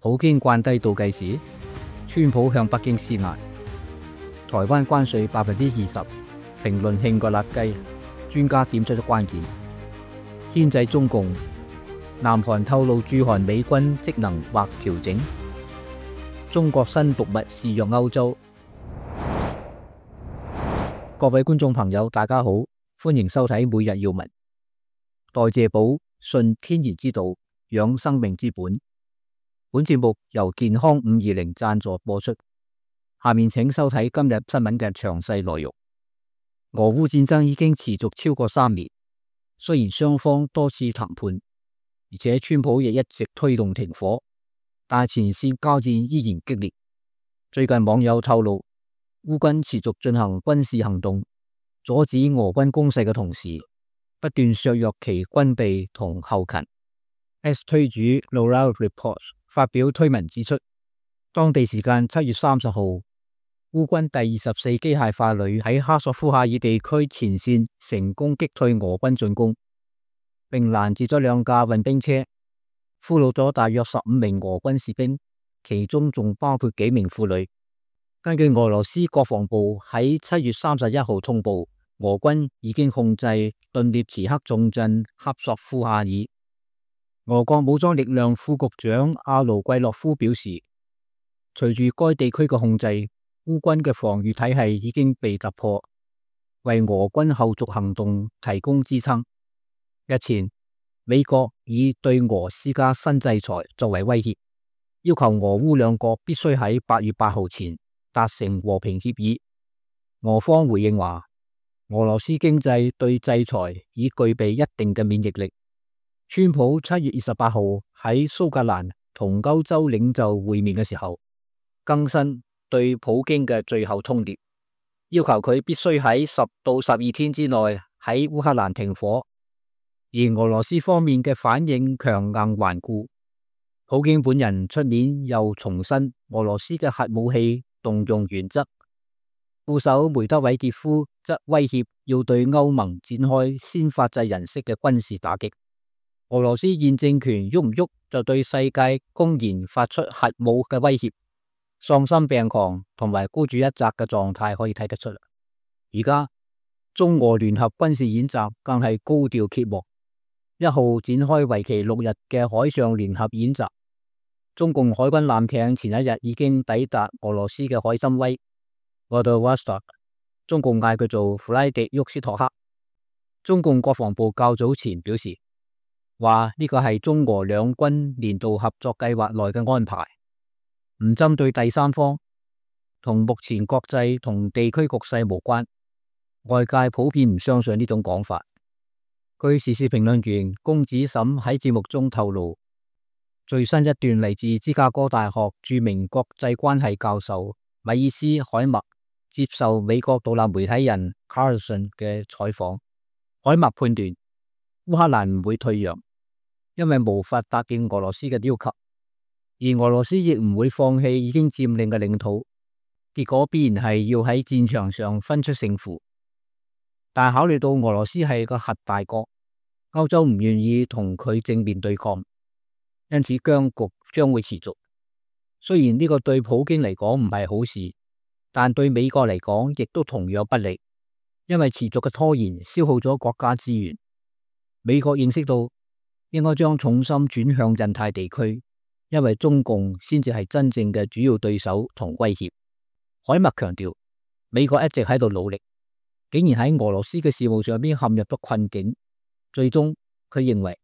普京慣低倒計時，川普向北京施壓。台灣關稅20%，評論興過辣雞，專家點出咗關鍵。牽制中共，南韓透露駐韓美軍職能或調整。中國新毒物肆虐歐洲。各位觀眾朋友，大家好，歡迎收睇每日要聞。代謝寶，信天然之道，養生命之本。本節目由健康520贊助播出。下面請收睇今日新聞嘅詳細內容。俄烏戰爭已經持續超過3年，雖然雙方多次談判，而且川普亦一直推動停火，但前線交戰依然激烈。最近網友透露，烏軍持續進行軍事行動，阻止俄軍攻勢嘅同時，不斷削弱其軍備同後勤。S 推主 Laura Report 發表推文指出，當地時間7月30號，烏軍第24機械化旅喺哈索夫夏爾地區前線成功擊退俄軍進攻，並攔截咗2架運兵車，俘虜咗大約15名俄軍士兵，其中仲包括幾名婦女。根據俄羅斯國防部喺7月31號通報，俄軍已經控制頓涅茨克重鎮哈索夫夏爾。俄國武裝力量副局長阿盧季洛夫表示，隨住該地區嘅控制，烏軍嘅防禦體系已經被突破，為俄軍後續行動提供支撐。日前，美國以對俄施加新制裁作為威脅，要求俄烏兩國必須喺8月8號前達成和平協議。俄方回應話，俄羅斯經濟對制裁已具備一定嘅免疫力。川普7月28號喺蘇格蘭同歐洲領袖會面嘅時候，更新對普京嘅最後通牒，要求佢必須喺10到12天之內喺烏克蘭停火。而俄羅斯方面嘅反應強硬頑固，普京本人出面又重申俄羅斯嘅核武器動用原則。副手梅德韋傑夫則威脅要對歐盟展開先發制人式嘅軍事打擊。俄羅斯現政權喐唔喐就對世界公然發出核武嘅威脅，喪心病狂同埋孤注一擲嘅狀態可以睇得出。而家中俄聯合軍事演習更係高調揭幕，1號展開為期6日嘅海上聯合演習。中共海軍艦艇前一日已經抵達俄羅斯嘅海參崴 Vladivostok， 中共嗌佢做弗拉迪沃斯托克。中共國防部較早前表示，話呢個係中俄兩軍年度合作計劃內嘅安排，唔針對第三方，同目前國際同地區局勢無關。外界普遍唔相信呢種講法。據時事評論員龔子沈喺節目中透露，最新一段嚟自芝加哥大學著名國際關係教授米爾斯海默接受美國獨立媒體人 Carlson 嘅採訪。海默判斷烏克蘭唔會退讓，因為無法答應俄羅斯嘅要求，而俄羅斯亦唔會放棄已經佔領嘅領土，結果必然係要喺戰場上分出勝負。但考慮到俄羅斯係個核大國，歐洲唔願意同佢正面對抗，因此僵局將會持續。雖然呢個對普京嚟講唔係好事，但對美國嚟講亦都同樣不利，因為持續嘅拖延消耗咗國家資源。美國認識到應該將重心轉向印太地區，因為中共先至係真正嘅主要對手同威脅。海默強調，美國一直喺度努力，竟然喺俄羅斯嘅事務上邊陷入咗困境。最終佢認為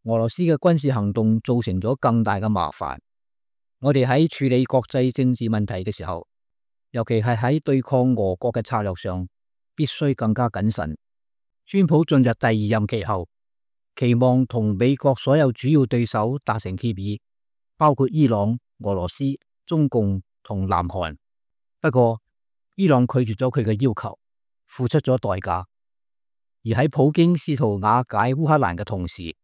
俄羅斯嘅軍事行動造成咗更大嘅麻煩。我哋喺處理國際政治問題嘅時候，尤其係喺對抗俄國嘅策略上，必須更加謹慎。川普進入第2任期後，期望同美國所有主要對手達成協議，包括伊朗、俄羅斯、中共同南韓。不過伊朗拒絕咗佢嘅要求，付出咗代價。而喺普京試圖瓦解烏克蘭嘅同時，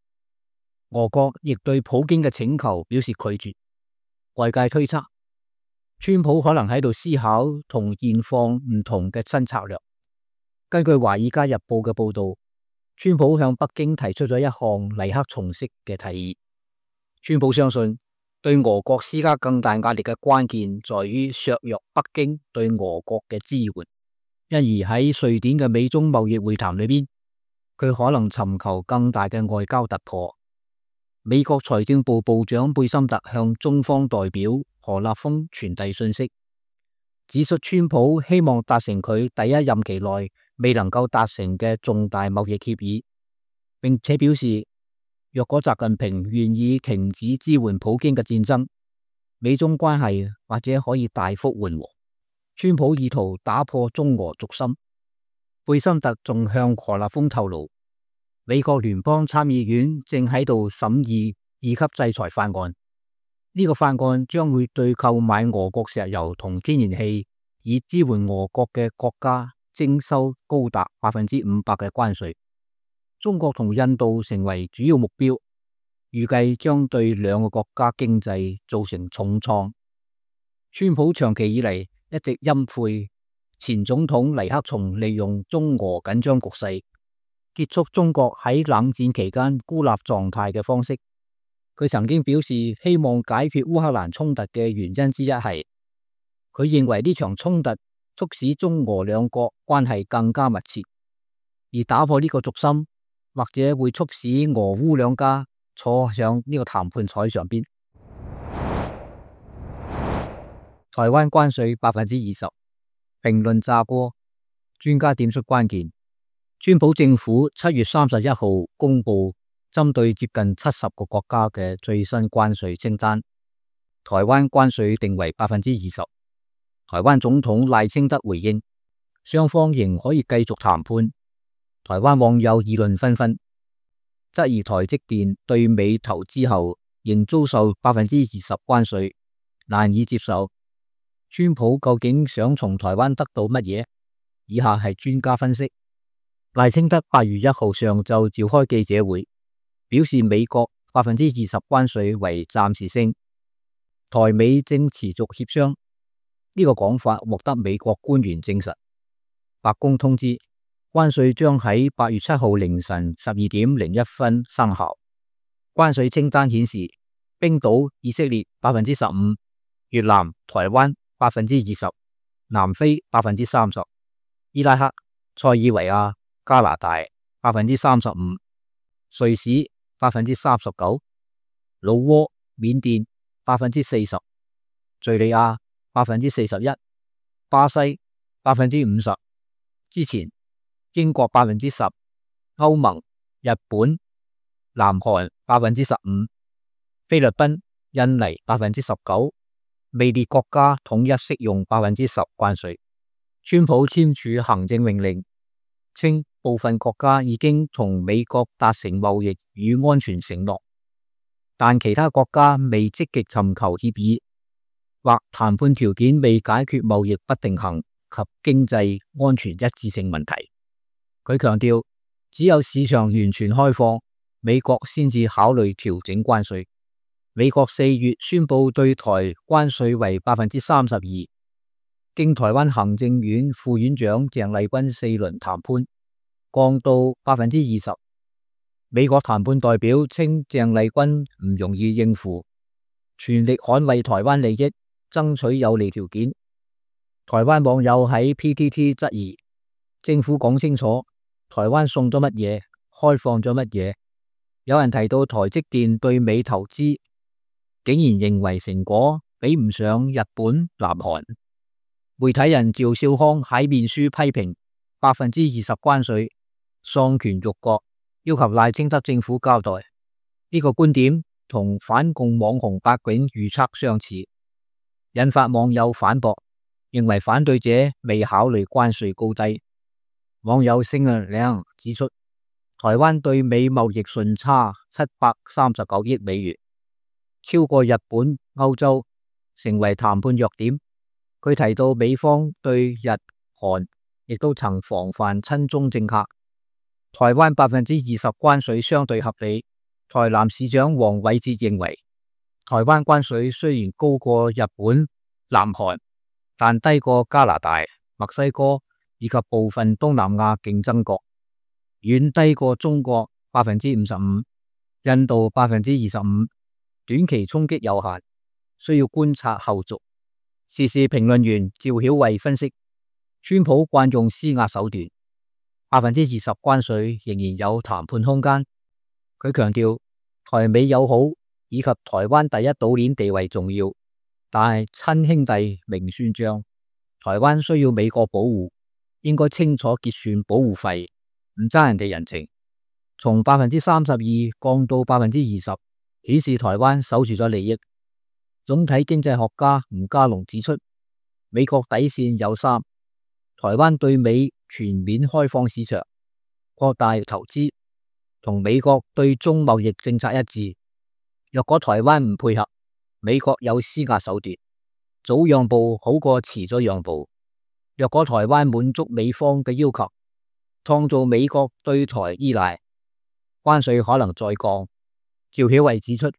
俄國亦對普京嘅請求表示拒絕。外界推測，川普可能喺度思考同現況唔同嘅新策略。根據《華爾街日報》嘅報道，川普向北京提出咗一項尼克松式嘅提議。川普相信對俄國施加更大壓力嘅關鍵在於削弱北京對俄國嘅支援，因而喺瑞典嘅美中貿易會談裏邊，佢可能尋求更大嘅外交突破。美國財政部部長貝森特向中方代表何立峰傳遞信息，指出川普希望達成佢第一任期內未能夠達成嘅重大貿易協議，並且表示，若果習近平願意停止支援普京嘅戰爭，美中關係或者可以大幅緩和。川普意圖打破中俄軸心。貝森特仲向何立峰透露，美國聯邦參議院正喺度審議二級制裁法案，呢個法案將會對購買俄國石油同天然氣以支援俄國嘅國家徵收高達500%嘅關稅。中國同印度成為主要目標，預計將對兩個國家經濟造成重創。川普長期以嚟一直欽佩前總統尼克松利用中俄緊張局勢結束中國喺冷戰期間孤立狀態嘅方式。佢曾經表示希望解決烏克蘭衝突嘅原因之一係，佢認為呢場衝突促使中俄兩國關係更加密切，而打破呢個軸心，或者會促使俄烏兩家坐上呢個談判台上邊。台灣關稅20%，評論炸鍋，專家點出關鍵。川普政府7月31號公布針對接近70個國家嘅最新關稅清單，台灣關稅定為20%。台灣總統賴清德回應，雙方仍可以繼續談判。台灣網友議論紛紛，質疑台積電對美投資後仍遭受20%關稅，難以接受。川普究竟想從台灣得到乜嘢？以下係專家分析。賴清德8月1號上晝召開記者會，表示美國20%關稅為暫時性，台美正持續協商。呢個講法獲得美國官員證實。白宮通知，關稅將喺8月7號凌晨12點01分生效。關稅清單顯示，冰島、以色列15%，越南、台灣20%，南非30%，伊拉克、塞爾維亞、加拿大35%，瑞士39%，老撾、緬甸40%，敘利亞41%，巴西50%。之前英國10%，歐盟、日本、南韓15%，菲律賓、印尼19%，未列國家統一適用10%關稅。川普簽署行政命令，稱部分國家已經同美國達成貿易與安全承諾，但其他國家未積極尋求協議，或談判條件未解決貿易不平衡及經濟安全一致性問題。佢強調，只有市場完全開放，美國先至考慮調整關稅。美國4月宣布對台關稅為32%，經台灣行政院副院長鄭麗君4輪談判，降到20%。美國談判代表稱鄭麗君唔容易應付，全力捍衛台灣利益，爭取有利條件。台灣網友喺 PTT 質疑政府講清楚，台灣送咗乜嘢，開放咗乜嘢。有人提到台積電對美投資，竟然認為成果比唔上日本、南韓。媒體人趙少康喺面書批評20%關稅喪權辱國，要求賴清德政府交代。呢個觀點同反共網紅白囧預測相似，引發網友反駁，認為反對者未考慮關稅高低。網友星啊亮指出，台灣對美貿易順差739億美元，超過日本、歐洲，成為談判弱點。佢提到美方對日、韓亦都曾防範親中政客，台灣20%關稅相對合理。台南市長黃偉哲認為，台灣關稅雖然高過日本、南韓，但低過加拿大、墨西哥以及部分東南亞競爭國，遠低過中國55%、印度25%，短期衝擊有限。需要觀察後續。時事評論員趙曉慧分析，川普慣用施壓手段，20%關稅仍然有談判空間。佢強調台美友好以及台灣第一島鏈地位重要，但係親兄弟明算賬，台灣需要美國保護，應該清楚結算保護費，唔爭人哋人情。從 32% 降到 20%， 顯示台灣守住咗利益。總體經濟學家吳家龍指出，美國底線有3，台灣對美全面開放市場，擴大投資，同美國對中貿易政策一致。若果台灣唔配合，美國有施壓手段，早讓步好過遲咗讓步。若果台灣滿足美方嘅要求，創造美國對台依賴，關稅可能再降。趙曉慧指出，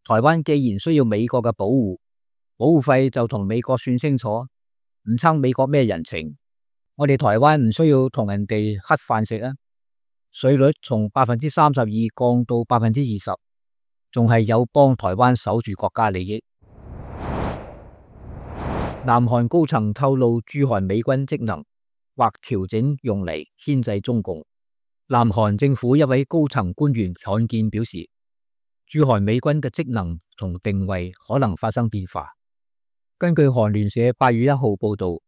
台灣既然需要美國嘅保護費就同美國算清楚，唔撐美國咩人情。我哋台灣唔需要同人哋乞飯食啊！稅率從 32% 降到 20%， 仲係有幫台灣守住國家利益。南韓高層透露駐韓美軍職能或調整用嚟牽制中共。南韓政府一位高層官員罕見表示，駐韓美軍嘅職能同定位可能發生變化。根據韓聯社8月1號報道，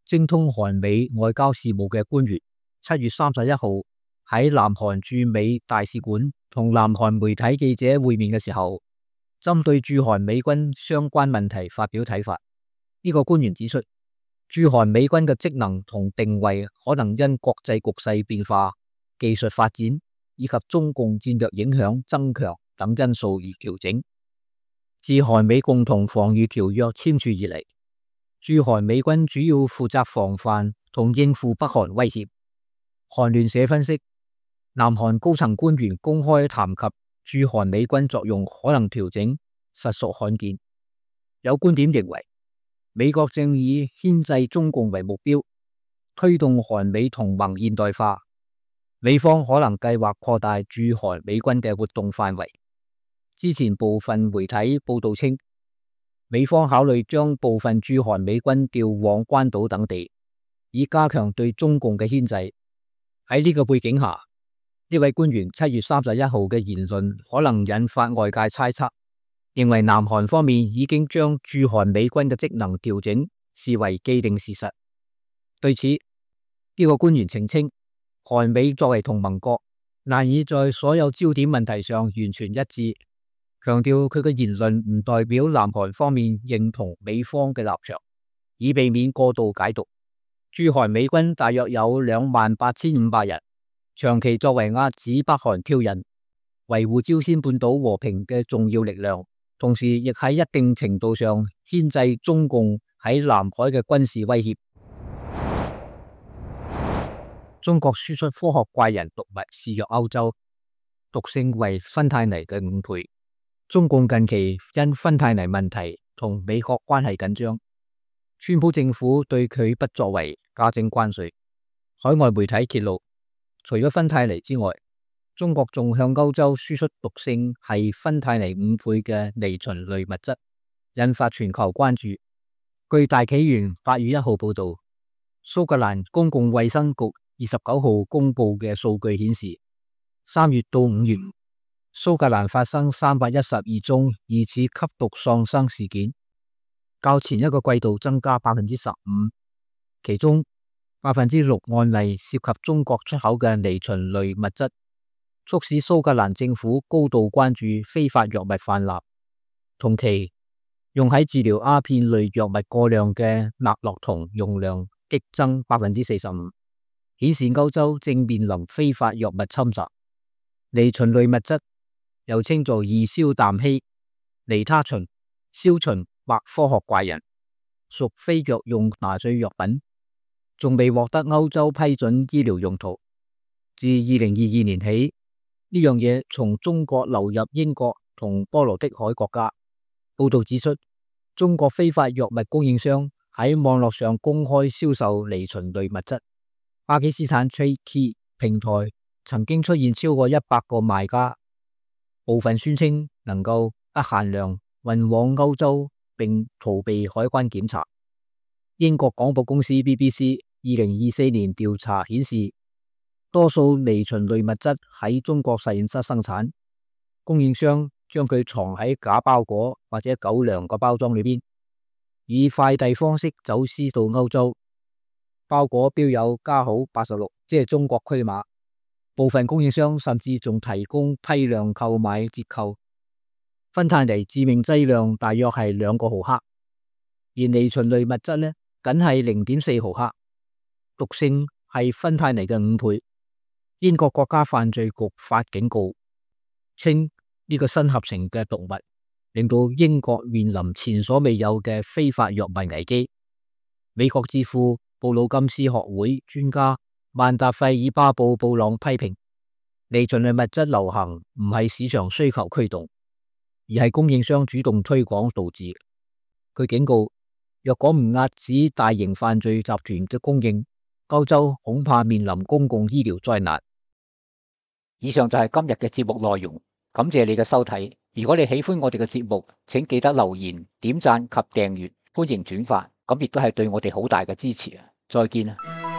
精通韓美外交事務嘅官員7月31號喺南韓駐美大使館同南韓媒體記者會面嘅時候，針對駐韓美軍相關問題發表睇法。呢個官員指出，駐韓美軍嘅職能同定位可能因國際局勢變化、技術發展以及中共戰略影響增強等因素而調整。自韓美共同防禦條約簽署以嚟，駐韓美軍主要負責防範同應付北韓威脅。韓聯社分析，南韓高層官員公開談及駐韓美軍作用可能調整，實屬罕見。有觀點認為，美國正以牽制中共為目標，推動韓美同盟現代化。美方可能計劃擴大駐韓美軍嘅活動範圍。之前部分媒體報道稱，美方考慮將部分駐韓美軍調往關島等地，以加強對中共嘅牽制。喺呢個背景下，呢位官員7月31號嘅言論可能引發外界猜測，認為南韓方面已經將駐韓美軍嘅職能調整視為既定事實。對此，呢個官員澄清，韓美作為同盟國，難以在所有焦點問題上完全一致，強調佢嘅言論唔代表南韓方面認同美方嘅立場，以避免過度解讀。駐韓美軍大約有28,500人，長期作為遏止北韓挑釁、維護朝鮮半島和平嘅重要力量，同時亦喺一定程度上牽制中共喺南海嘅軍事威脅。中國輸出科學怪人毒物肆虐歐洲，毒性為芬太尼嘅5倍。中共近期因芬太尼問題同美國關係緊張，川普政府對佢不作為，加徵關稅。海外媒體揭露，除咗芬太尼之外，中國仲向歐洲輸出毒性係芬太尼5倍嘅尼秦類物質，引發全球關注。據大紀元8月1號報道，蘇格蘭公共衛生局29號公布嘅數據顯示，3月到5月，蘇格蘭發生312宗疑似吸毒喪生事件，較前一個季度增加 15%， 其中 6% 案例涉及中國出口嘅尼秦類物質，促使蘇格蘭政府高度關注非法藥物泛濫。同期，用喺治療鴉片類藥物過量嘅勒諾酮用量激增 45%。顯示歐洲正面臨非法藥物侵襲。尼秦類物質又稱作二硝氮烯、尼他秦、硝秦或科學怪人，屬非藥用麻醉藥品，仲未獲得歐洲批准醫療用途。自2022年起，呢樣嘢從中國流入英國同波羅的海國家。報道指出，中國非法藥物供應商喺網絡上公開銷售尼秦類物質。巴基斯坦 TradeKey 平台曾經出現超過100個賣家，部分宣稱能夠不限量運往歐洲並逃避海關檢查。英國廣播公司 BBC 2024年調查顯示，多數微循類物質喺中國實驗室生產，供應商將佢藏喺假包裹或者狗糧個包裝裏邊，以快遞方式走私到歐洲。包裹標有加號86，即係中國區碼。部分供應商甚至仲提供批量購買折扣。芬太尼致命劑量大約係2個毫克，而微循類物質呢，僅係0.4毫克，毒性係芬太尼嘅5倍。英國國家犯罪局發警告，稱呢個新合成嘅毒物令到英國面臨前所未有嘅非法藥物危機。美國智庫布魯金斯學會專家曼達費爾巴布布朗批評，微循類物質流行唔係市場需求驅動，而係供應商主動推廣導致。佢警告，若果唔遏止大型犯罪集團嘅供應，歐洲恐怕面臨公共醫療災難。以上就係今日嘅節目內容，感謝你嘅收睇。如果你喜歡我哋嘅節目，請記得留言、點讚及訂閱，歡迎轉發，咁亦都係對我哋好大嘅支持啊！再見啊！